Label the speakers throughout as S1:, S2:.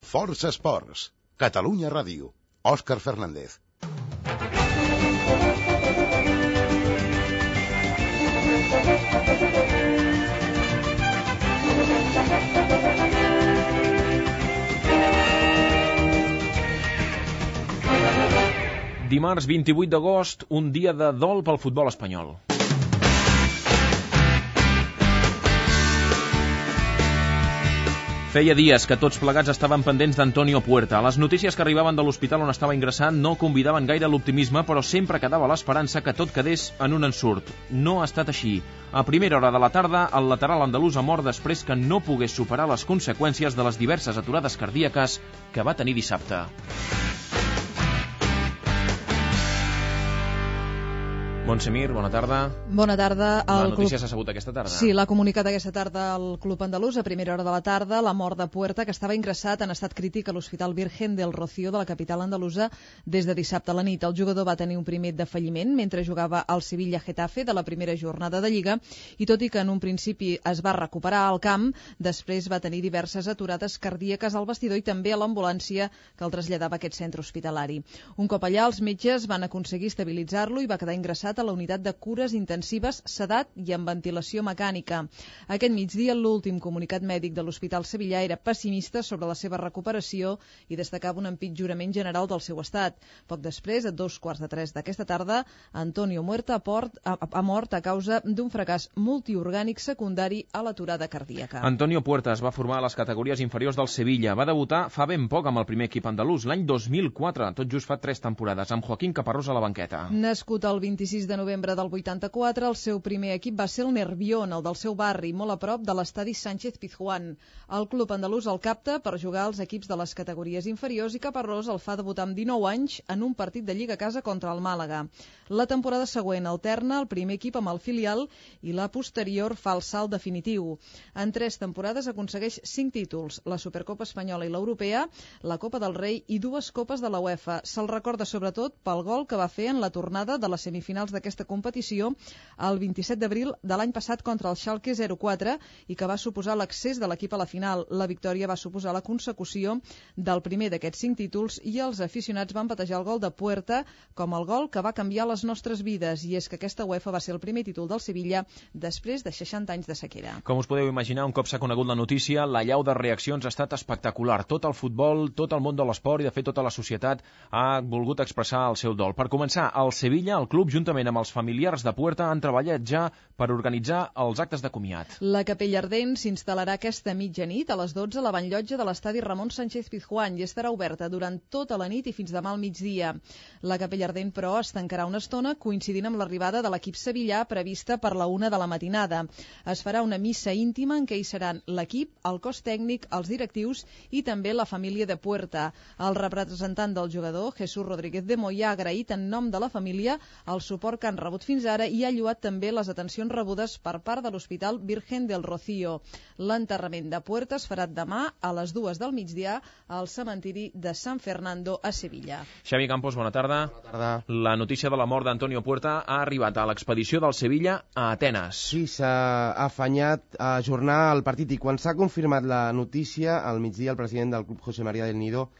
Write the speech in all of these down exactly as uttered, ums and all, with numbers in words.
S1: Força Esports, Catalunya Ràdio, Òscar Fernández.
S2: Dimarts vint-i-vuit d'agost, un dia de dol pel futbol espanyol. Feia dies que tots plegats estaven pendents d'Antonio Puerta. Les notícies que arribaven de l'hospital on estava ingressat no convidaven gaire l'optimisme, però sempre quedava l'esperança que tot quedés en un ensurt. No ha estat així. A primera hora de la tarda, el lateral andalús ha mort després que no pogués superar les conseqüències de les diverses aturades cardíaques que va tenir dissabte. Montse Mir, bona tarda.
S3: Bona tarda.
S2: La notícia s'ha sabut aquesta tarda.
S3: Sí, l'ha comunicat aquesta tarda al Club Andalús a primera hora de la tarda la mort de Puerta, que estava ingressat en estat crític a l'Hospital Virgen del Rocío de la capital andalusa des de dissabte a la nit. El jugador va tenir un primer defalliment mentre jugava al Sevilla-Getafe de la primera jornada de Lliga i tot i que en un principi es va recuperar al camp, després va tenir diverses aturades cardíaques al vestidor i també a l'ambulància que el traslladava a aquest centre hospitalari. Un cop allà, els metges van aconseguir estabilitzar-lo i va quedar ingressat a la unitat de cures intensives, sedat i amb ventilació mecànica. Aquest migdia, l'últim comunicat mèdic de l'Hospital Sevillà era pessimista sobre la seva recuperació i destacava un empitjorament general del seu estat. Poc després, a dos quarts de tres d'aquesta tarda, Antonio Puerta ha, ha mort a causa d'un fracàs multiorgànic secundari a l'aturada cardíaca.
S2: Antonio Puerta es va formar a les categories inferiors del Sevilla. Va debutar fa ben poc amb el primer equip andalús, l'any dos mil quatre, tot just fa tres temporades, amb Joaquín Caparrós a la banqueta.
S3: Nascut el vint-i-sis de novembre del vuitanta-quatre, el seu primer equip va ser el Nervión, el del seu barri, molt a prop de l'estadi Sánchez Pizjuán. El club andalús el capta per jugar als equips de les categories inferiors i Caparrós el fa debutar amb dinou anys en un partit de Lliga a casa contra el Màlaga. La temporada següent alterna el primer equip amb el filial i la posterior fa el salt definitiu. En tres temporades aconsegueix cinc títols, la Supercopa Espanyola i l'Europea, la Copa del Rei i dues Copes de la UEFA. Se'l recorda sobretot pel gol que va fer en la tornada de les semifinals d'aquesta competició el vint-i-set d'abril de l'any passat contra el Schalke zero quatre i que va suposar l'accés de l'equip a la final. La victòria va suposar la consecució del primer d'aquests cinc títols i els aficionats van batejar el gol de Puerta com el gol que va canviar les nostres vides, i és que aquesta UEFA va ser el primer títol del Sevilla després de seixanta anys de sequera.
S2: Com us podeu imaginar, un cop s'ha conegut la notícia, la llau de reaccions ha estat espectacular. Tot el futbol, tot el món de l'esport i de fet tota la societat ha volgut expressar el seu dol. Per començar, el Sevilla, el club, juntament amb els familiars de Puerta, han treballat ja per organitzar els actes de comiat.
S3: La capella ardent s'instal·larà aquesta mitjanit a les dotze a la banllotja de l'estadi Ramon Sánchez Pizjuán i estarà oberta durant tota la nit i fins demà al migdia. La capella ardent, però, es tancarà una estona coincidint amb l'arribada de l'equip sevillà prevista per la una de la matinada. Es farà una missa íntima en què hi seran l'equip, el cos tècnic, els directius i també la família de Puerta. El representant del jugador, Jesús Rodríguez de Moya, ha agraït en nom de la família el suport que han rebut fins ara i ha lloat també les atencions rebudes per part de l'Hospital Virgen del Rocío. L'enterrament de Puerta es farà demà a les dues del migdia al cementiri de San Fernando a Sevilla.
S2: Xavi Campos, bona tarda.
S4: Bona tarda.
S2: La notícia de la mort d'Antonio Puerta ha arribat a l'expedició del Sevilla a Atenes.
S4: Sí, s'ha afanyat a ajornar el partit i quan s'ha confirmat la notícia, al migdia el president del club, José María del Nido,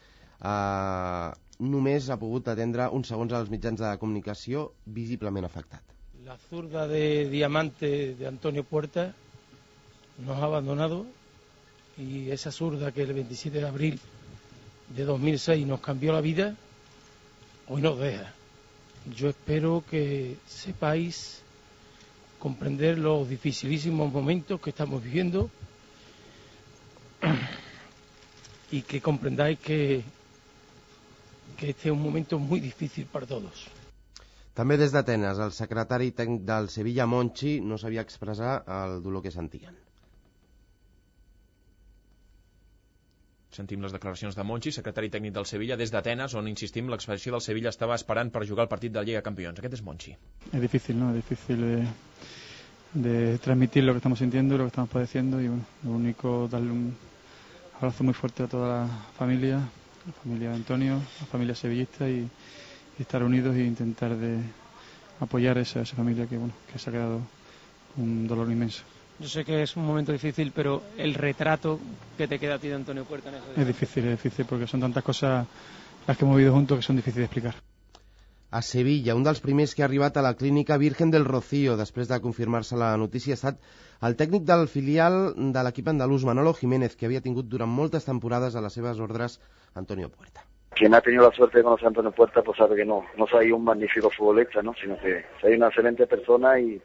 S4: eh, només ha pogut atendre uns segons als mitjans de comunicació visiblement afectat.
S5: La zurda de diamante de Antonio Puerta nos ha abandonado y esa zurda que el veintisiete de abril de dos mil seis nos cambió la vida, hoy nos deja. Yo espero que sepáis comprender los dificilísimos momentos que estamos viviendo y que comprendáis que, que este es un momento muy difícil para todos.
S4: També des d'Atenes, el secretari tècnic del Sevilla, Monchi, no sabia expressar el dolor que sentien.
S2: Sentim les declaracions de Monchi, secretari tècnic del Sevilla, des d'Atenes, on, insistim, l'expedició del Sevilla estava esperant per jugar el partit de Lliga de Campions. Aquest és Monchi.
S6: Es difícil, ¿no? Es difícil de, de transmitir lo que estamos sintiendo, lo que estamos padeciendo y bueno, lo único, darle un abrazo muy fuerte a toda la familia, la familia de Antonio, la familia sevillista y estar unidos e intentar de apoyar a esa, esa familia que bueno que se ha quedado un dolor inmenso.
S5: Yo sé que es un momento difícil, pero el retrato que te queda a ti de Antonio Puerta en eso...
S6: Es difícil, es difícil, porque son tantas cosas las que hemos vivido juntos que son difíciles de explicar.
S4: A Sevilla, un dels primers que ha arribat a la clínica Virgen del Rocío, després de confirmar-se la notícia, ha estat el tècnic del filial de l'equip andalús, Manolo Jiménez, que havia tingut durant moltes temporades a les seves ordres Antonio Puerta.
S7: Quien ha tenido la suerte de conocer a Antonio Puerta pues sabe que no, no soy un magnífico futbolista, ¿no? Sino que soy una excelente persona y,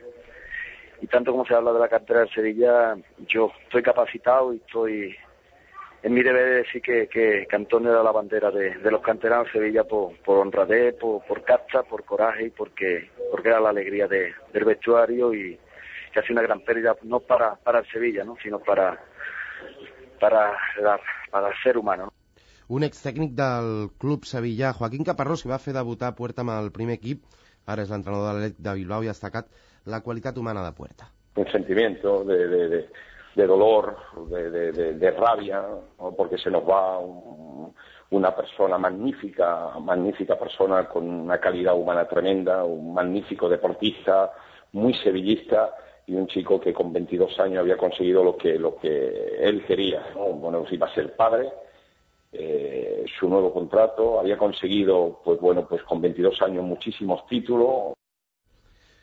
S7: y tanto como se habla de la cantera de Sevilla, yo estoy capacitado y estoy en mi deber de decir que, que, que Antonio era la bandera de, de los canteranos de Sevilla por, por honradez, por, por casta, por coraje y porque, porque era la alegría de, del vestuario y que ha sido una gran pérdida no para, para el Sevilla, ¿no? Sino para, para, la, para el ser humano, ¿no?
S4: Un ex-tècnic del club sevillà, Joaquín Caparrós, que va fer debutar Puerta amb el primer equip, ara és l'entrenador de l'Atlètic de Bilbao i ha destacat la qualitat humana de Puerta.
S8: Un sentimiento de, de, de, de dolor, de, de, de, de rabia, ¿no? Porque se nos va un, una persona magnífica, magnífica persona con una calidad humana tremenda, un magnífico deportista, muy sevillista y un chico que con veintidós años había conseguido lo que, lo que él quería, ¿no? Bueno, iba a ser padre. Eh, su nuevo contrato, había conseguido, pues bueno, pues con veintidós años muchísimos títulos.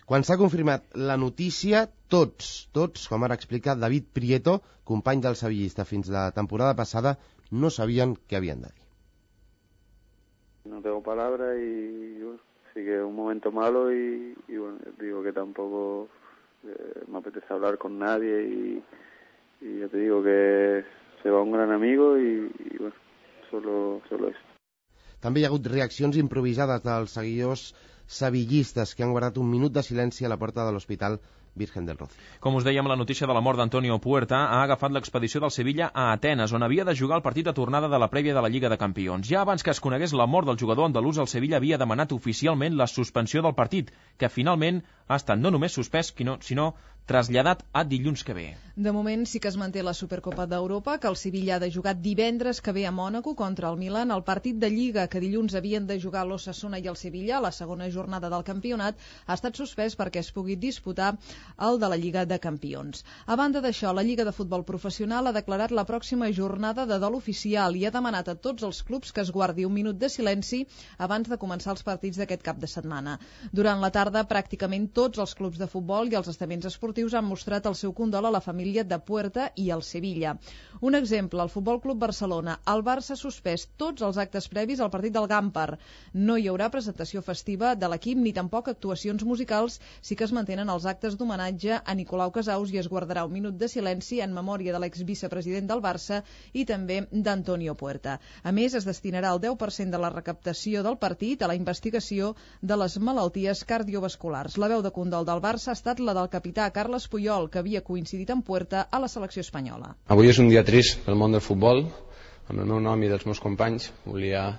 S4: Quan s'ha confirmat la notícia, tots, tots, com ara explica David Prieto, company del sevillista fins la temporada passada, no sabien què havien de dir.
S9: No tengo palabras y bueno, sí que es un momento malo y, y bueno, digo que tampoco eh, me apetece hablar con nadie y, y ya te digo que se va un gran amigo y, y bueno, Solo, solo eso.
S4: També hi ha hagut reaccions improvisades dels seguidors sevillistes que han guardat un minut de silenci a la porta de l'Hospital Virgen del Rocío.
S2: Com us dèiem, la notícia de la mort d'Antonio Puerta ha agafat l'expedició del Sevilla a Atenes, on havia de jugar el partit de tornada de la prèvia de la Lliga de Campions. Ja abans que es conegués la mort del jugador andalús, el Sevilla havia demanat oficialment la suspensió del partit, que finalment ha estat no només suspès, sinó traslladat a dilluns que ve.
S3: De moment sí que es manté la Supercopa d'Europa, que el Sevilla ha de jugar divendres que ve a Mònaco contra el Milan. El partit de Lliga que dilluns havien de jugar l'Osasuna i el Sevilla, la segona jornada del campionat, ha estat suspès perquè es pugui disputar el de la Lliga de Campions. A banda d'això, la Lliga de Futbol Professional ha declarat la pròxima jornada de dol oficial i ha demanat a tots els clubs que es guardi un minut de silenci abans de començar els partits d'aquest cap de setmana. Durant la tarda, pràcticament tots els clubs de futbol i els estaments esportius han mostrat el seu condol a la família de Puerta i al Sevilla. Un exemple, el Futbol Club Barcelona. El Barça ha suspès tots els actes previs al partit del Gampar. No hi haurà presentació festiva de l'equip ni tampoc actuacions musicals, sí que es mantenen els actes d'homenatge a Nicolau Casaus i es guardarà un minut de silenci en memòria de l'exvicepresident del Barça i també d'Antonio Puerta. A més, es destinarà el deu per cent de la recaptació del partit a la investigació de les malalties cardiovasculars. La veu de condol del Barça ha estat la del capità Carles Puyol, que havia coincidit amb Puerta a la selecció espanyola.
S10: Avui és un dia trist pel món del futbol. Amb el meu nom i dels meus companys volia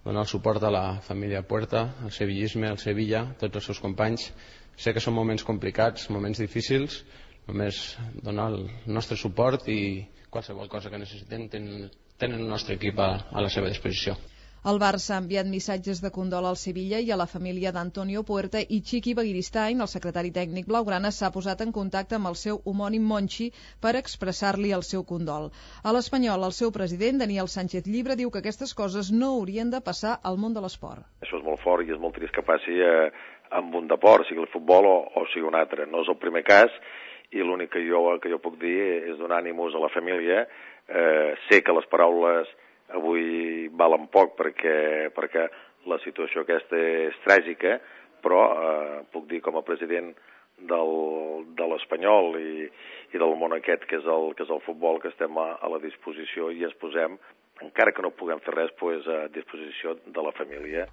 S10: donar el suport a la família Puerta, al sevillisme, al Sevilla, tots els seus companys. Sé que són moments complicats, moments difícils, només donar el nostre suport i qualsevol cosa que necessiten tenen, tenen el nostre equip a, a la seva disposició.
S3: El Barça ha enviat missatges de condol al Sevilla i a la família d'Antonio Puerta i Chiqui Begiristain, el secretari tècnic blaugrana, s'ha posat en contacte amb el seu homònim Monchi per expressar-li el seu condol. A l'Espanyol, el seu president, Daniel Sánchez Llibre, diu que aquestes coses no haurien de passar al món de l'esport.
S11: Això és molt fort i és molt trist que passi eh, amb un deport, sigui el futbol o, o sigui un altre. No és el primer cas i l'únic que jo, que jo puc dir és donar ànims a la família. Eh, sé que les paraules avui valen poc perquè, perquè la situació aquesta és tràgica, però eh, puc dir com a president del, de l'Espanyol i, i del món aquest que és el, que és el futbol, que estem a, a la disposició i ens posem, encara que no puguem fer res, pues, a disposició de la família.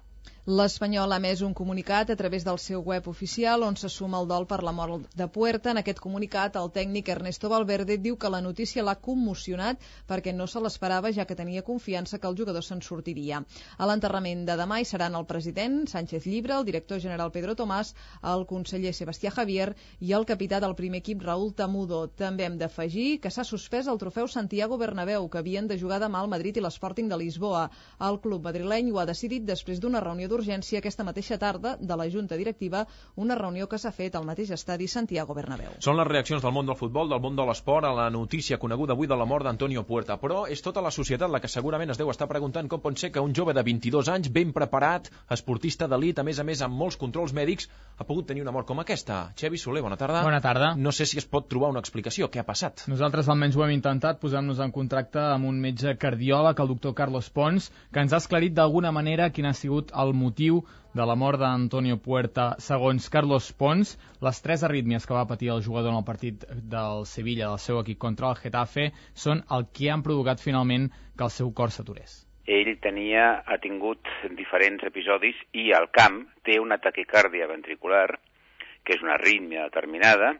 S3: L'Espanyol ha emès un comunicat a través del seu web oficial on se suma el dol per la mort de Puerta. En aquest comunicat, el tècnic Ernesto Valverde diu que la notícia l'ha commocionat perquè no se l'esperava, ja que tenia confiança que el jugador se'n sortiria. A l'enterrament de demà hi seran el president Sánchez Llibre, el director general Pedro Tomàs, el conseller Sebastià Javier i el capità del primer equip Raúl Tamudo. També hem d'afegir que s'ha suspès el trofeu Santiago Bernabéu, que havien de jugar demà al Madrid i l'Sporting de Lisboa. El club madrileny ho ha decidit després d'una reunió d'urgència aquesta mateixa tarda de la Junta Directiva, una reunió que s'ha fet al mateix estadi Santiago Bernabéu.
S2: Són les reaccions del món del futbol, del món de l'esport, a la notícia coneguda avui de la mort d'Antonio Puerta. Però és tota la societat la que segurament es deu estar preguntant com pot ser que un jove de vint-i-dos anys, ben preparat, esportista d'elit, a més a més amb molts controls mèdics, ha pogut tenir una mort com aquesta. Xevi Soler, bona tarda.
S12: Bona tarda.
S2: No sé si es pot trobar una explicació. Què ha passat?
S12: Nosaltres almenys ho hem intentat, posant-nos en contacte amb un metge cardiòleg, el doctor Carlos Pons, que ens ha esclarit d'alguna manera quin ha sigut el motiu de la mort d'Antonio Puerta. Segons Carlos Pons, les tres arrítmies que va patir el jugador en el partit del Sevilla, del seu equip contra el Getafe, són el que han provocat finalment que el seu cor s'aturés.
S13: Ell tenia, ha tingut diferents episodis i al camp té una taquicàrdia ventricular, que és una arrítmia determinada,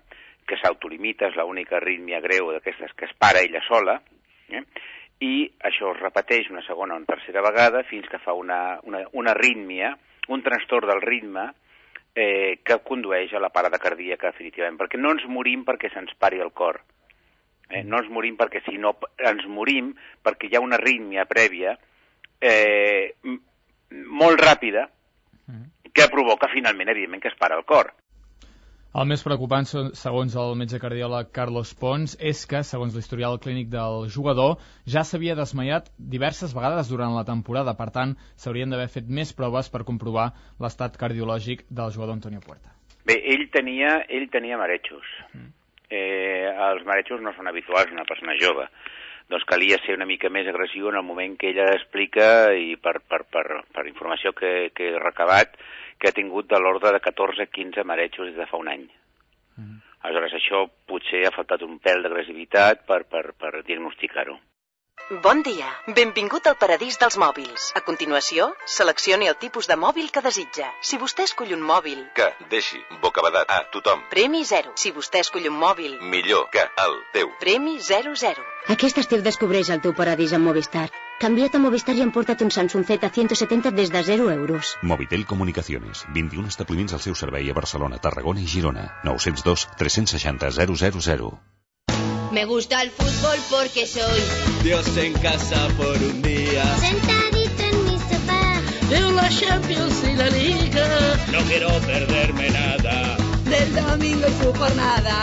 S13: que s'autolimita, és l'única arrítmia greu d'aquestes que es para ella sola, eh? I això es repeteix una segona o una tercera vegada fins que fa una, una, una arrítmia, un trastorn del ritme eh, que condueix a la parada cardíaca definitivament, perquè no ens morim perquè se'ns pari el cor, eh? No ens morim perquè si no ens morim perquè hi ha una arrítmia prèvia eh, molt ràpida que provoca finalment, evidentment, que es para el cor.
S12: El més preocupant, segons el metge cardiòleg Carlos Pons, és que, segons l'historial clínic del jugador, ja s'havia desmaiat diverses vegades durant la temporada. Per tant, s'haurien d'haver fet més proves per comprovar l'estat cardiològic del jugador Antonio Puerta.
S13: Bé, ell tenia, ell tenia marejos. Mm. Eh, els marejos no són habituals en una persona jove. Doncs calia ser una mica més agressiu en el moment que ella explica, i per, per, per, per informació que, que he recabat, que ha tingut de l'ordre de catorze a quinze marejos des de fa un any. Mm. Aleshores, això potser ha faltat un pèl d'agressivitat per, per, per diagnosticar-ho.
S14: Bon dia, benvingut al paradís dels mòbils. A continuació, seleccioni el tipus de mòbil que desitja. Si vostè escull un mòbil...
S15: Que deixi bocabadat a tothom.
S14: Premi zero. Si vostè escull un mòbil...
S15: Millor que el teu.
S14: Premi zero zero.
S16: Aquest estiu descobreix el teu paradís amb Movistar. Canvia't a Movistar i emporta't un Samsung Z ciento setenta des de zero euros.
S17: Movitel Comunicaciones. vint-i-un establiments al seu servei a Barcelona, Tarragona i Girona. nou zero dos, tres seixanta, zero zero zero.
S18: Me gusta el fútbol porque soy
S19: Dios en casa por un día,
S18: sentadito en mi sofá.
S19: Veo la Champions y la Liga. No quiero perderme nada
S18: del domingo y su jornada.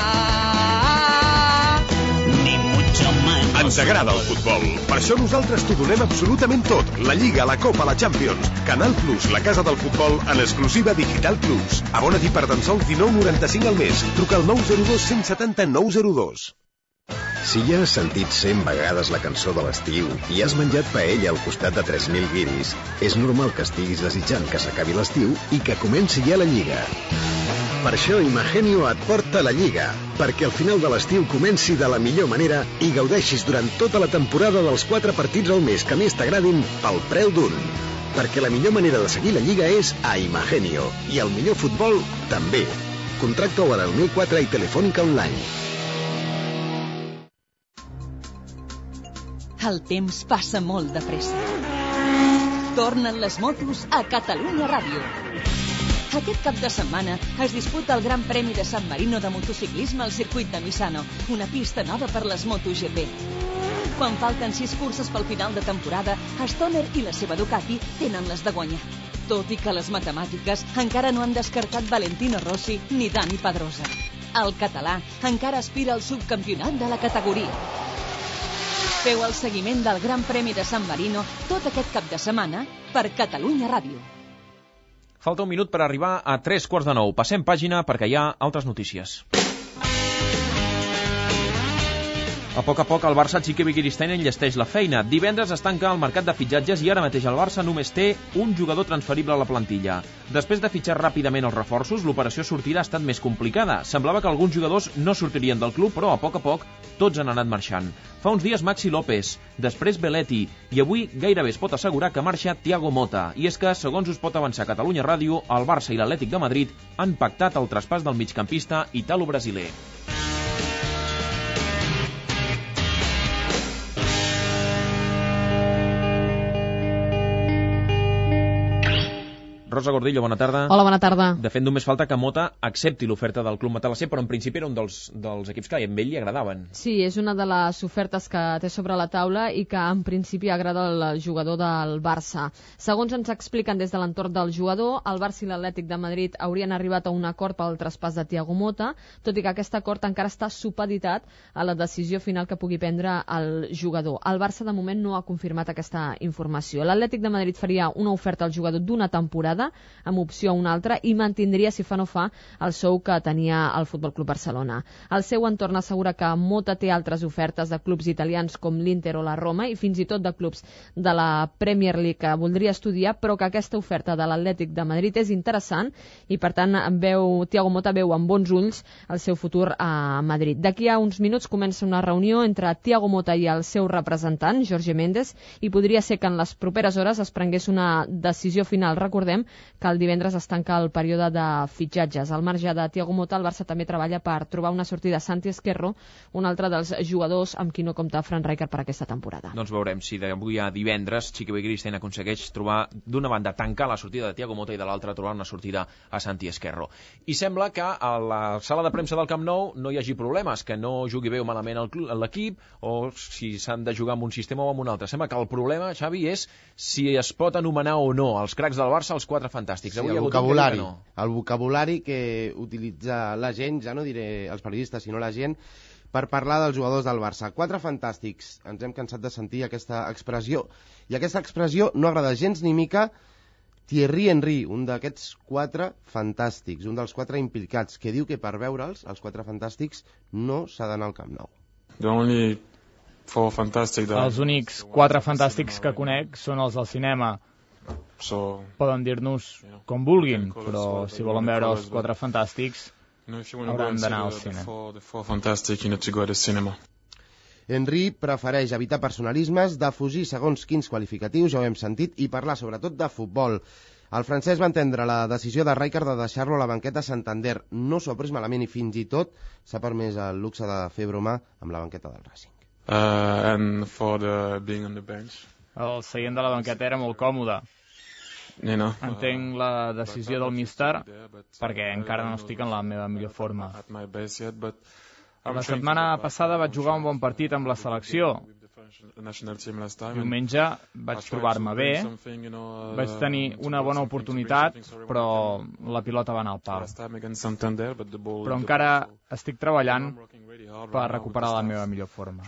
S19: Ni mucho más.
S20: Ens agrada el futbol. Per això nosaltres t'ho donem absolutament tot. La Lliga, la Copa, la Champions. Canal Plus, la casa del futbol, en exclusiva Digital Plus. Abona't per tan sols dinou noranta-cinc al mes. Truca al nou zero dos, cent setanta, nou zero dos.
S21: Si ja has sentit cent vegades la cançó de l'estiu i has menjat paella al costat de tres mil guiris, és normal que estiguis desitjant que s'acabi l'estiu i que comenci ja la Lliga. Per això Imagenio et porta la Lliga, perquè al final de l'estiu comenci de la millor manera i gaudeixis durant tota la temporada dels quatre partits al mes que més t'agradin pel preu d'un. Perquè la millor manera de seguir la Lliga és a Imagenio, i el millor futbol també. Contracta-ho a deu mil quatre i Telefònica Online.
S22: El temps passa molt de pressa. Tornen les motos a Catalunya Ràdio. Aquest cap de setmana es disputa el Gran Premi de San Marino de motociclisme al circuit de Misano, una pista nova per les MotoGP. Quan falten sis curses pel final de temporada, Stoner i la seva Ducati tenen les de guanyar. Tot i que les matemàtiques encara no han descartat Valentino Rossi ni Dani Pedrosa. El català encara aspira al subcampionat de la categoria. Feu el seguiment del Gran Premi de San Marino tot aquest cap de setmana per Catalunya Ràdio.
S2: Falta un minut per arribar a tres quarts de nou. Passem pàgina perquè hi ha altres notícies. A poc a poc el Barça Txiki Begiristain enllesteix la feina. Divendres es tanca el mercat de fitxatges i ara mateix el Barça només té un jugador transferible a la plantilla. Després de fitxar ràpidament els reforços, l'operació sortida ha estat més complicada. Semblava que alguns jugadors no sortirien del club, però a poc a poc tots han anat marxant. Fa uns dies Maxi López, després Belletti, i avui gairebé es pot assegurar que marxa Thiago Motta. I és que, segons us pot avançar Catalunya Ràdio, el Barça i l'Atlètic de Madrid han pactat el traspàs del migcampista italo-brasiler. Rosa Gordillo, bona tarda.
S1: Hola, bona tarda.
S2: De fet, només falta que Mota accepti l'oferta del Club Matalasser, però en principi era un dels, dels equips que a ell li agradaven.
S1: Sí, és una de les ofertes que té sobre la taula i que en principi agrada al jugador del Barça. Segons ens expliquen des de l'entorn del jugador, el Barça i l'Atlètic de Madrid haurien arribat a un acord pel traspàs de Thiago Mota, tot i que aquest acord encara està supeditat a la decisió final que pugui prendre el jugador. El Barça de moment no ha confirmat aquesta informació. L'Atlètic de Madrid faria una oferta al jugador d'una temporada amb opció a una altra i mantindria, si fa no fa, el sou que tenia el Futbol Club Barcelona. El seu entorn assegura que Mota té altres ofertes de clubs italians com l'Inter o la Roma i fins i tot de clubs de la Premier League que voldria estudiar, però que aquesta oferta de l'Atlètic de Madrid és interessant i per tant veu, Thiago Mota veu amb bons ulls el seu futur a Madrid. D'aquí a uns minuts comença una reunió entre Thiago Mota i el seu representant, Jorge Méndez, i podria ser que en les properes hores es prengués una decisió final. Recordem que el divendres es tanca el període de fitxatges. Al marge de Thiago Mota, el Barça també treballa per trobar una sortida a Santi Esquerro, un altre dels jugadors amb qui no compta Fran Rijkaard per aquesta temporada.
S2: Doncs veurem si d'avui a divendres Chiqui Begiristain aconsegueix trobar d'una banda tancar la sortida de Thiago Mota i de l'altra trobar una sortida a Santi Esquerro. I sembla que a la sala de premsa del Camp Nou no hi hagi problemes, que no jugui bé o malament l'equip o si s'han de jugar amb un sistema o amb un altre. Sembla que el problema, Xavi, és si es pot anomenar o no els cracs del Barça els quatre fantàstics.
S4: Sí, el vocabulari, no. el vocabulari que utilitza la gent, ja no diré els periodistes, sinó la gent, per parlar dels jugadors del Barça. Quatre fantàstics. Ens hem cansat de sentir aquesta expressió. I aquesta expressió no agrada gens ni mica Thierry Henry, un d'aquests quatre fantàstics, un dels quatre implicats, que diu que per veure'ls, els quatre fantàstics, no s'ha d'anar al Camp Nou.
S12: Els únics quatre fantàstics que conec són els del cinema. Poden dir-nos com vulguin, però si volen veure els quatre fantàstics hauran d'anar al cine.
S4: Henry prefereix evitar personalismes, defugir segons quins qualificatius, ja ho hem sentit, i parlar sobretot de futbol. El francès va entendre la decisió de Rijkaard de deixar-lo a la banqueta a Santander. No s'ho ha pres malament i fins i tot s'ha permès el luxe de fer broma amb la banqueta del Racing.
S6: Uh, and for the being on the bench.
S12: El seient de la banqueta era molt còmode.
S6: You know,
S12: Entenc la decisió del míster perquè encara no estic en la meva millor forma. La setmana passada vaig jugar un bon partit amb la selecció. Diumenge vaig trobar-me bé, vaig tenir una bona oportunitat, però la pilota va anar al pal. Però encara estic treballant per recuperar la meva millor forma.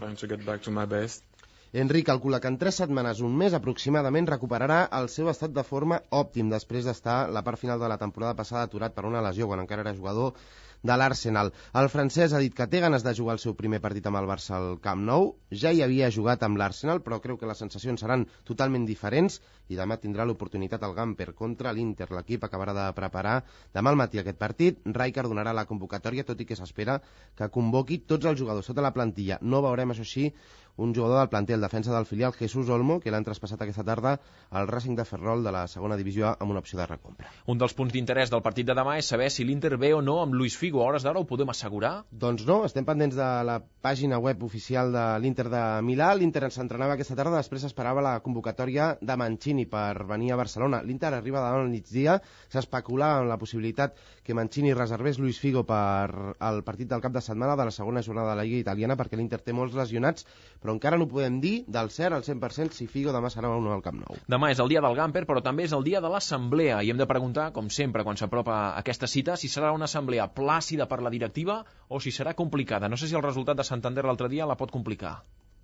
S4: Henry calcula que en tres setmanes, un mes aproximadament, recuperarà el seu estat de forma òptim després d'estar la part final de la temporada passada aturat per una lesió quan encara era jugador de l'Arsenal. El francès ha dit que té ganes de jugar el seu primer partit amb el Barça al Camp Nou. Ja hi havia jugat amb l'Arsenal, però creu que les sensacions seran totalment diferents i demà tindrà l'oportunitat al Gamper contra l'Inter. L'equip acabarà de preparar demà al matí aquest partit. Rijkaard donarà la convocatòria, tot i que s'espera que convoqui tots els jugadors sota la plantilla. No veurem, això sí, un jugador del planter, el defensa del filial, Jesús Olmo, que l'han traspassat aquesta tarda al Racing de Ferrol de la segona divisió amb una opció de recompra.
S2: Un dels punts d'interès del partit de demà és saber si l'Inter ve o no amb Luis Figo. A hores d'ara ho podem assegurar?
S4: Doncs no, estem pendents de la pàgina web oficial de l'Inter de Milà. L'Inter s'entrenava aquesta tarda, després esperava la convocatòria de Mancini per venir a Barcelona. L'Inter arriba davant al migdia, s'especulava amb la possibilitat que Mancini reservés Luis Figo per al partit del cap de setmana de la segona jornada de la Lliga Italiana, perquè l'Inter té molts lesionats, però encara no podem dir del cert al cent per cent si Figo demà serà o no al Camp Nou.
S2: Demà és el dia del Gamper, però també és el dia de l'assemblea, i hem de preguntar, com sempre, quan s'apropa aquesta cita, si serà una assemblea plàcida per la directiva o si serà complicada. No sé si el resultat de Santander l'altre dia la pot complicar.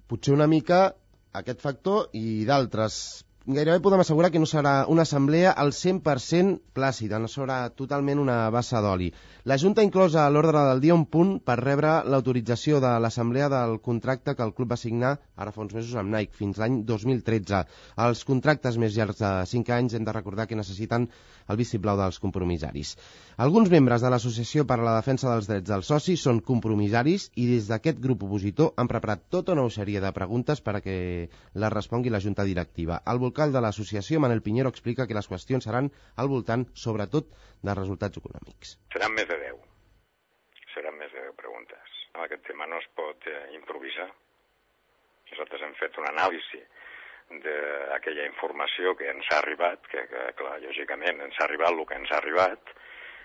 S4: Potser una mica aquest factor i d'altres. Gairebé podem assegurar que no serà una assemblea al cent per cent plàcida, no serà totalment una bassa d'oli. La Junta ha inclòs a l'ordre del dia un punt per rebre l'autorització de l'assemblea del contracte que el club va signar ara fa uns mesos amb Nike, fins l'any dos mil tretze. Els contractes més llargs de cinc anys hem de recordar que necessiten el vistiplau dels compromissaris. Alguns membres de l'Associació per a la Defensa dels Drets dels Socis són compromissaris i des d'aquest grup opositor han preparat tota una sèrie de preguntes per a que les respongui la Junta Directiva. El vocal de l'associació, Manel Piñero, explica que les qüestions seran al voltant, sobretot, dels resultats econòmics.
S5: Seran més de deu. Seran més de deu preguntes. Aquest tema no es pot eh, improvisar. Nosaltres hem fet una anàlisi d'aquella informació que ens ha arribat, que, que clar, lògicament ens ha arribat el que ens ha arribat,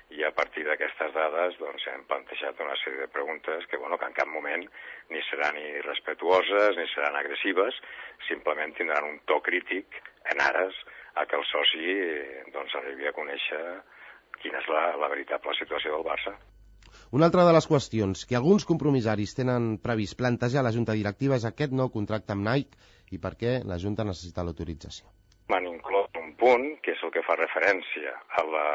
S5: i a partir d'aquestes dades doncs, hem plantejat una sèrie de preguntes que, bueno, que en cap moment ni seran ni respectuoses ni seran agressives, simplement tindran un to crític en ares a que el soci doncs, arribi a conèixer quina és la, la veritable situació del Barça.
S4: Una altra de les qüestions que alguns compromissaris tenen previst plantejar a la Junta Directiva és aquest nou contracte amb Nike i per què la Junta necessita l'autorització.
S5: M'han inclòs un punt que és el que fa referència a la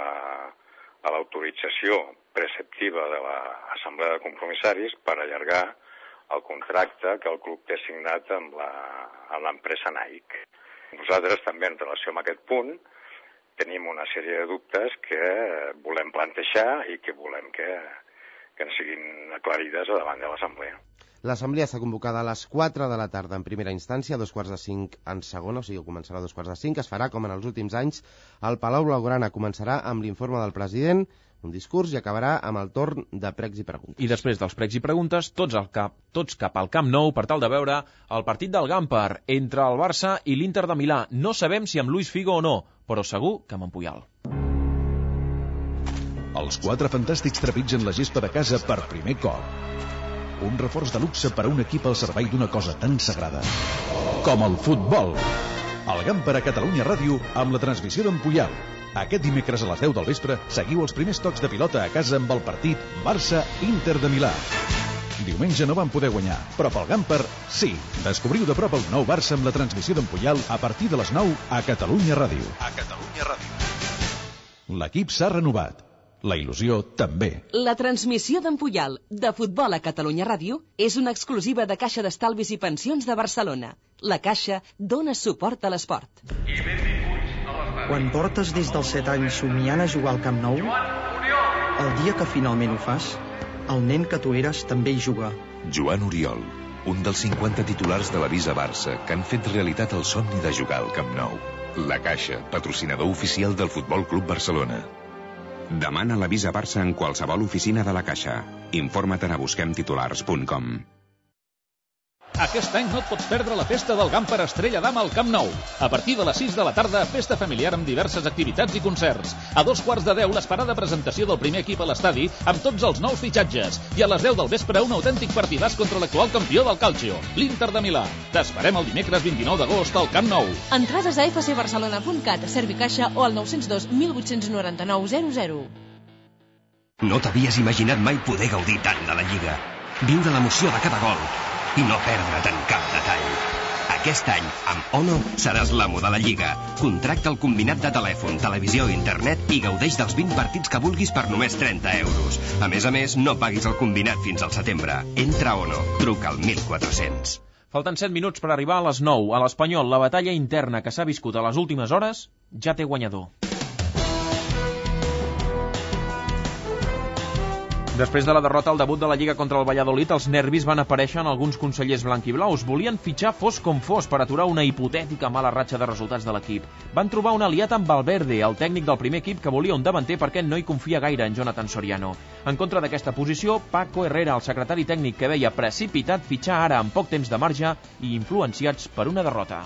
S5: a l'autorització preceptiva de l'Assemblea de Compromissaris per allargar el contracte que el club té signat amb l'empresa Nike. Nosaltres també en relació amb aquest punt tenim una sèrie de dubtes que volem plantejar i que volem que, que ens siguin aclarides davant de l'Assemblea.
S4: L'Assemblea està convocada a les quatre de la tarda en primera instància, a dos quarts de cinc en segona, o sigui, començarà a dos quarts de cinc. Es farà, com en els últims anys, el Palau Blaugrana començarà amb l'informe del president, un discurs, i acabarà amb el torn de pregs i preguntes.
S2: I després dels pregs i preguntes, tots, al cap, tots cap al Camp Nou per tal de veure el partit del Gamper entre el Barça i l'Inter de Milà. No sabem si amb Luis Figo o no, però segur que amb en Puyol.
S7: Els quatre fantàstics trepitgen la gespa de casa per primer cop. Un reforç de luxe per a un equip al servei d'una cosa tan sagrada com el futbol. El Gamper a Catalunya Ràdio amb la transmissió d'en Puyol. Aquest dimecres a les deu del vespre seguiu els primers tocs de pilota a casa amb el partit Barça-Inter de Milà. Diumenge no van poder guanyar, però pel Gamper sí. Descobriu de prop el nou Barça amb la transmissió d'en Puyol a partir de les nou a Catalunya Ràdio. A Catalunya Ràdio. L'equip s'ha renovat. La il·lusió també.
S22: La transmissió d'en Puyol, de futbol a Catalunya Ràdio, és una exclusiva de Caixa d'Estalvis i Pensions de Barcelona. La Caixa dona suport a l'esport.
S8: Quan portes des dels set anys somiant a jugar al Camp Nou, el dia que finalment ho fas, el nen que tu eres també hi juga.
S17: Joan Oriol, un dels cinquanta titulars de la Visa Barça que han fet realitat el somni de jugar al Camp Nou. La Caixa, patrocinador oficial del Futbol Club Barcelona. Demana la Visa Barça en qualsevol oficina de la Caixa. Informa't a busquem titulars punt com.
S23: Aquest any no et pots perdre la festa del Gamper Estrella d'Am al Camp Nou. A partir de les sis de la tarda, festa familiar amb diverses activitats i concerts. A dos quarts de deu, l'esperada presentació del primer equip a l'estadi amb tots els nous fitxatges. I a les deu del vespre, un autèntic partidàs contra l'actual campió del Calcio, l'Inter de Milà. T'esperem el dimecres vint-i-nou d'agost al Camp Nou.
S24: Entrades a f c barcelona punt cat, Servicaixa o al nou zero dos, mil vuit-cents noranta-nou, zero zero.
S25: No t'havies imaginat mai poder gaudir tant de la Lliga. Viure l'emoció de cada gol i no perdre't en cap detall. Aquest any, amb Ono, seràs l'amo de la Lliga. Contracta el combinat de telèfon, televisió i internet i gaudeix dels vint partits que vulguis per només trenta euros. A més a més, no paguis el combinat fins al setembre. Entra a Ono. Truca al mil quatre-cents.
S2: Falten set minuts per arribar a les nou. A l'Espanyol, la batalla interna que s'ha viscut a les últimes hores ja té guanyador. Després de la derrota al debut de la Lliga contra el Valladolid, els nervis van aparèixer en alguns consellers blanquiblaus. Volien fitxar fos com fos per aturar una hipotètica mala ratxa de resultats de l'equip. Van trobar un aliat amb Valverde, el tècnic del primer equip, que volia un davanter perquè no hi confia gaire en Jonathan Soriano. En contra d'aquesta posició, Paco Herrera, el secretari tècnic, que veia precipitat fitxar ara amb poc temps de marge i influenciats per una derrota.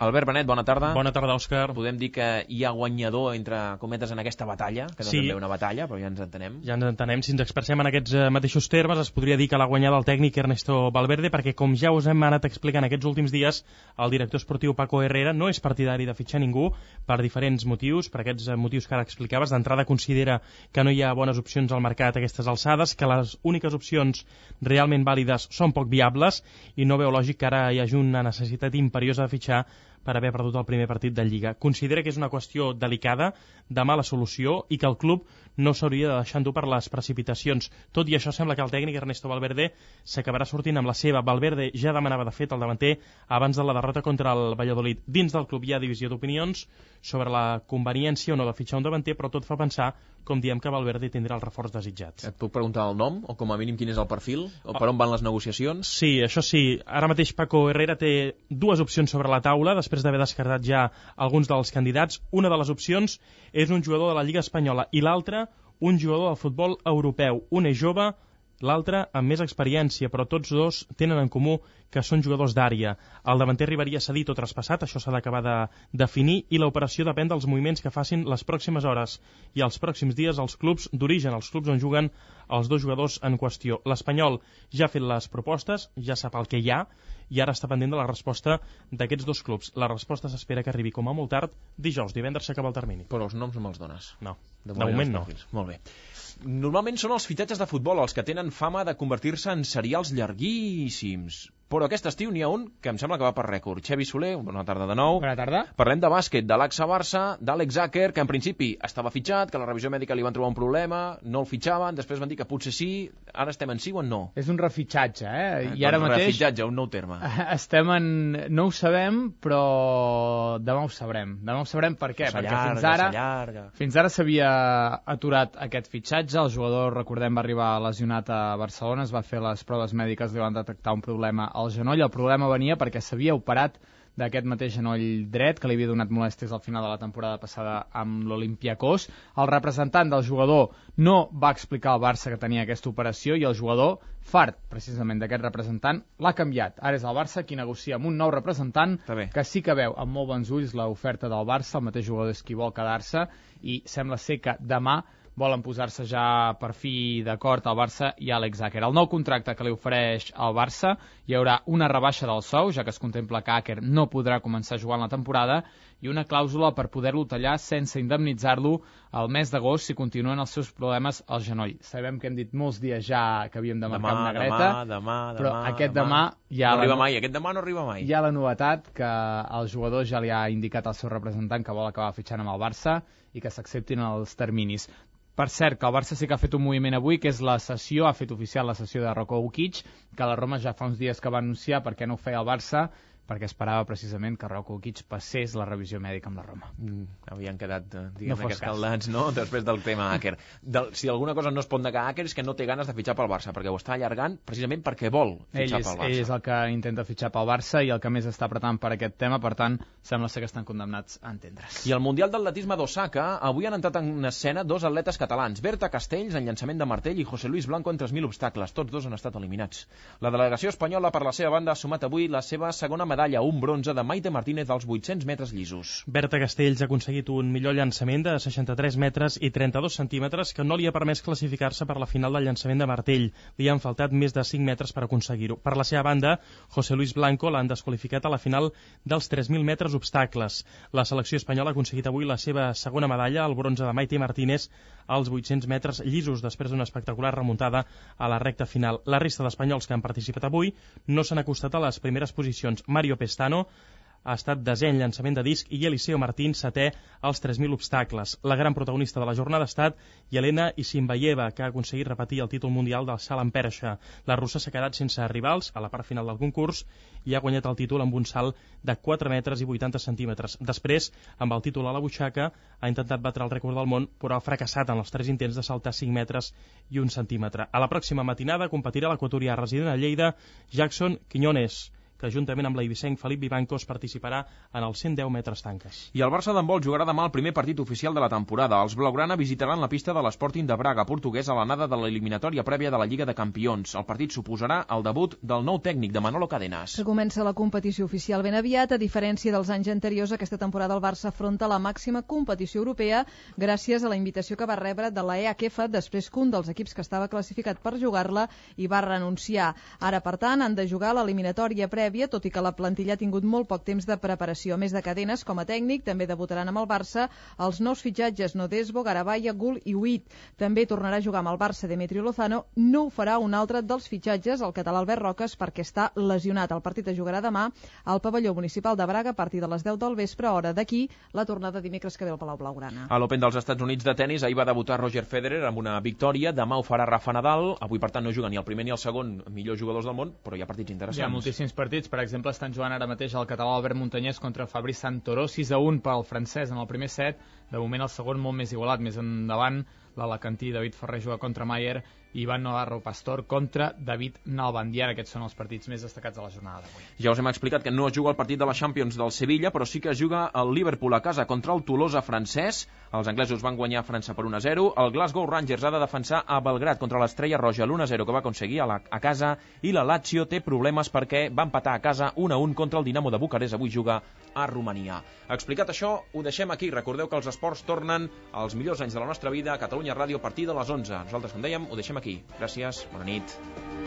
S2: Albert Benet, bona tarda.
S26: Bona tarda, Òscar.
S2: Podem dir que hi ha guanyador, entre cometes, en aquesta batalla, que no
S26: sí.
S2: és ben bé una batalla, però ja ens entenem.
S26: Ja ens entenem. Si ens expressem en aquests mateixos termes, es podria dir que l'ha guanyat el tècnic Ernesto Valverde, perquè, com ja us hem anat explicant aquests últims dies, el director esportiu Paco Herrera no és partidari de fitxar ningú per diferents motius, per aquests motius que ara explicaves. D'entrada considera que no hi ha bones opcions al mercat a aquestes alçades, que les úniques opcions realment vàlides són poc viables i no veu lògic que ara hi hagi una necessitat imperiosa de fitxar per haver perdut el primer partit de Lliga. Considera que és una qüestió delicada, de mala solució, i que el club no s'hauria de deixar endur per les precipitacions. Tot i això, sembla que el tècnic Ernesto Valverde s'acabarà sortint amb la seva. Valverde ja demanava, de fet, el davanter abans de la derrota contra el Valladolid. Dins del club hi ha divisió d'opinions sobre la conveniència o no de fitxar un davanter, però tot fa pensar, com diem, que Valverde tindrà el reforç desitjat.
S2: Et puc preguntar el nom, o com a mínim quin és el perfil, o per on van les negociacions?
S26: Sí, això sí. Ara mateix Paco Herrera té dues opcions sobre la taula, després d'haver descartat ja alguns dels candidats. Una de les opcions és un jugador de la Lliga Espanyola i l'altra un jugador del futbol europeu. Un és jove l'altre amb més experiència, però tots dos tenen en comú que són jugadors d'àrea. El davanter arribaria cedit o traspassat, això s'ha d'acabar de definir, i l'operació depèn dels moviments que facin les pròximes hores i els pròxims dies als clubs d'origen, els clubs on juguen els dos jugadors en qüestió. L'Espanyol ja ha fet les propostes, ja sap el que hi ha, i ara està pendent de la resposta d'aquests dos clubs. La resposta s'espera que arribi com a molt tard dijous, divendres s'acaba el termini.
S2: Però els noms no me'ls dones.
S26: No,
S2: de,
S26: de moment no.
S2: Molt bé. Normalment són els fitxatges de futbol els que tenen fama de convertir-se en serials llarguíssims. Però aquest estiu n'hi ha un que em sembla que va per rècord. Xavi Soler, bona tarda de nou.
S3: Bona tarda.
S2: Parlem de bàsquet, de l'A X A Barça, d'Àlex Aker, que en principi estava fitxat, que la revisió mèdica li van trobar un problema, no el fitxaven, després van dir que potser sí, ara estem en sí o en no?
S3: És un refitxatge, eh?
S2: eh
S3: I ara
S2: doncs
S3: mateix...
S2: Refitxatge, un nou terme.
S3: Estem en... No ho sabem, però demà ho sabrem. Demà ho sabrem per què? Perquè fins ara... Fins ara s'havia aturat aquest fitxatge, el jugador, recordem, va arribar lesionat a Barcelona, es va fer les proves mèdiques, li van detectar un problema al genoll, el problema venia perquè s'havia operat d'aquest mateix genoll dret, que li havia donat molèsties al final de la temporada passada amb l'Olympiacos. El representant del jugador no va explicar al Barça que tenia aquesta operació i el jugador, fart precisament d'aquest representant, l'ha canviat. Ara és el Barça qui negocia amb un nou representant que sí que veu amb molt bons ulls l'oferta del Barça, el mateix jugador és qui vol quedar-se, i sembla ser que demà volen posar-se ja per fi d'acord al Barça i Àlex Aker. El nou contracte que li ofereix al Barça, hi haurà una rebaixa del sou, ja que es contempla que Aker no podrà començar jugant la temporada, i una clàusula per poder-lo tallar sense indemnitzar-lo al mes d'agost si continuen els seus problemes al genoll. Sabem que hem dit molts dies ja que havíem de marcar una negreta,
S2: demà, demà,
S3: però
S2: demà,
S3: aquest
S2: demà,
S3: demà ja
S2: no arriba mai, aquest demà no arriba mai.
S3: Hi ha la novetat que el jugador ja li ha indicat al seu representant que vol acabar fitxant amb el Barça i que s'acceptin els terminis. Per cert, que el Barça sí que ha fet un moviment avui, que és la sessió, ha fet oficial la sessió de Roko Ukic, que la Roma ja fa uns dies que va anunciar perquè no ho feia el Barça, perquè esperava precisament que Roko Ukic passés la revisió mèdica amb la Roma.
S2: Mm, havien quedat, diguem,
S3: no
S2: escaldats, no?, després del tema Aker. Del, si alguna cosa no es pot negar a Aker és que no té ganes de fitxar pel Barça, perquè ho està allargant precisament perquè vol fitxar
S3: ell és,
S2: pel Barça.
S3: Ell és el que intenta fitxar pel Barça i el que més està apretant per aquest tema, per tant, sembla ser que estan condemnats a entendre's.
S2: I al Mundial d'Atletisme d'Osaka avui han entrat en escena dos atletes catalans, Berta Castells en llançament de martell i José Luis Blanco en tres mil obstacles. Tots dos han estat eliminats. La delegació espanyola, per la seva banda, ha sumat avui la seva segona medalla, un bronze de Maite Martínez als vuit-cents metres llisos.
S26: Berta Castells ha aconseguit un millor llançament de seixanta-tres metres i trenta-dos centímetres que no li ha permès classificar-se per la final del llançament de martell. Li han faltat més de cinc metres per aconseguir-ho. Per la seva banda, José Luis Blanco l'han desqualificat a la final dels tres mil metres obstacles. La selecció espanyola ha aconseguit avui la seva segona medalla, el bronze de Maite Martínez, als vuit-cents metres llisos, després d'una espectacular remuntada a la recta final. La resta d'espanyols que han participat avui no s'han acostat a les primeres posicions. Mario Pestano ha estat desè en llançament de disc i Eliseo Martín setè als tres mil obstacles. La gran protagonista de la jornada ha estat Yelena Isinbayeva, que ha aconseguit repetir el títol mundial del salt en perxa. La russa s'ha quedat sense rivals a la part final del concurs i ha guanyat el títol amb un salt de quatre metres i vuitanta centímetres. Després, amb el títol a la butxaca, ha intentat batre el rècord del món, però ha fracassat en els tres intents de saltar cinc metres i un centímetre. A la pròxima matinada competirà l'equatorià resident a Lleida, Jackson Quiñones, que juntament amb l'eivissenc Felip Vivancos participarà en els cent deu metres tanques.
S2: I el Barça d'handbol jugarà demà el primer partit oficial de la temporada. Els blaugrana visitaran la pista de l'Sporting de Braga, portuguès, a l'anada de l'eliminatòria prèvia de la Lliga de Campions. El partit suposarà el debut del nou tècnic de Manolo Cadenas.
S9: Que comença la competició oficial ben aviat. A diferència dels anys anteriors, aquesta temporada el Barça afronta la màxima competició europea gràcies a la invitació que va rebre de la E H F després que un dels equips que estava classificat per jugar-la hi va renunciar. Ara, per tant, han de jugar l'eliminatòria prèvia, tot i que la plantilla ha tingut molt poc temps de preparació. A més de Cadenas, com a tècnic, també debutaran amb el Barça els nous fitxatges Nodesbo, Garabaya, Gul i Huit. També tornarà a jugar amb el Barça Demetrio Lozano. No ho farà un altre dels fitxatges, el català Albert Roques, perquè està lesionat. El partit es jugarà demà al pavelló municipal de Braga a partir de les deu del vespre, hora d'aquí, la tornada dimecres que ve al Palau Blaugrana.
S2: A l'Open dels Estats Units de tennis, ahir va debutar Roger Federer amb una victòria. Demà ho farà Rafa Nadal. Avui, per tant, no juga ni el primer ni el segon millors jugadors del món, però hi ha partits interessants.
S3: Hi ha moltíssims partits. Per exemple, estan jugant ara mateix el català Albert Montanyès contra Fabrice Santoro, sis a un pel francès en el primer set. De moment el segon molt més igualat, més endavant l'alacantí David Ferrer juga contra Mayer Ivan Navarro Pastor contra David Nalbandian. Aquests són els partits més destacats de la jornada d'avui.
S2: Ja us hem explicat que no es juga el partit de la Champions del Sevilla, però sí que es juga el Liverpool a casa contra el Tolosa francès. Els anglesos van guanyar a França per un a zero. El Glasgow Rangers ha de defensar a Belgrad contra l'Estrella Roja l'u a zero que va aconseguir a, la, a casa, i la Lazio té problemes perquè va empatar a casa un a un contra el Dinamo de Bucarest. Avui juga a Romania. Explicat això, ho deixem aquí. Recordeu que els esports tornen als millors anys de la nostra vida a Catalunya Ràdio a partir de les onze. Nosaltres, com dèiem, ho deixem aquí. Gràcies, bona nit.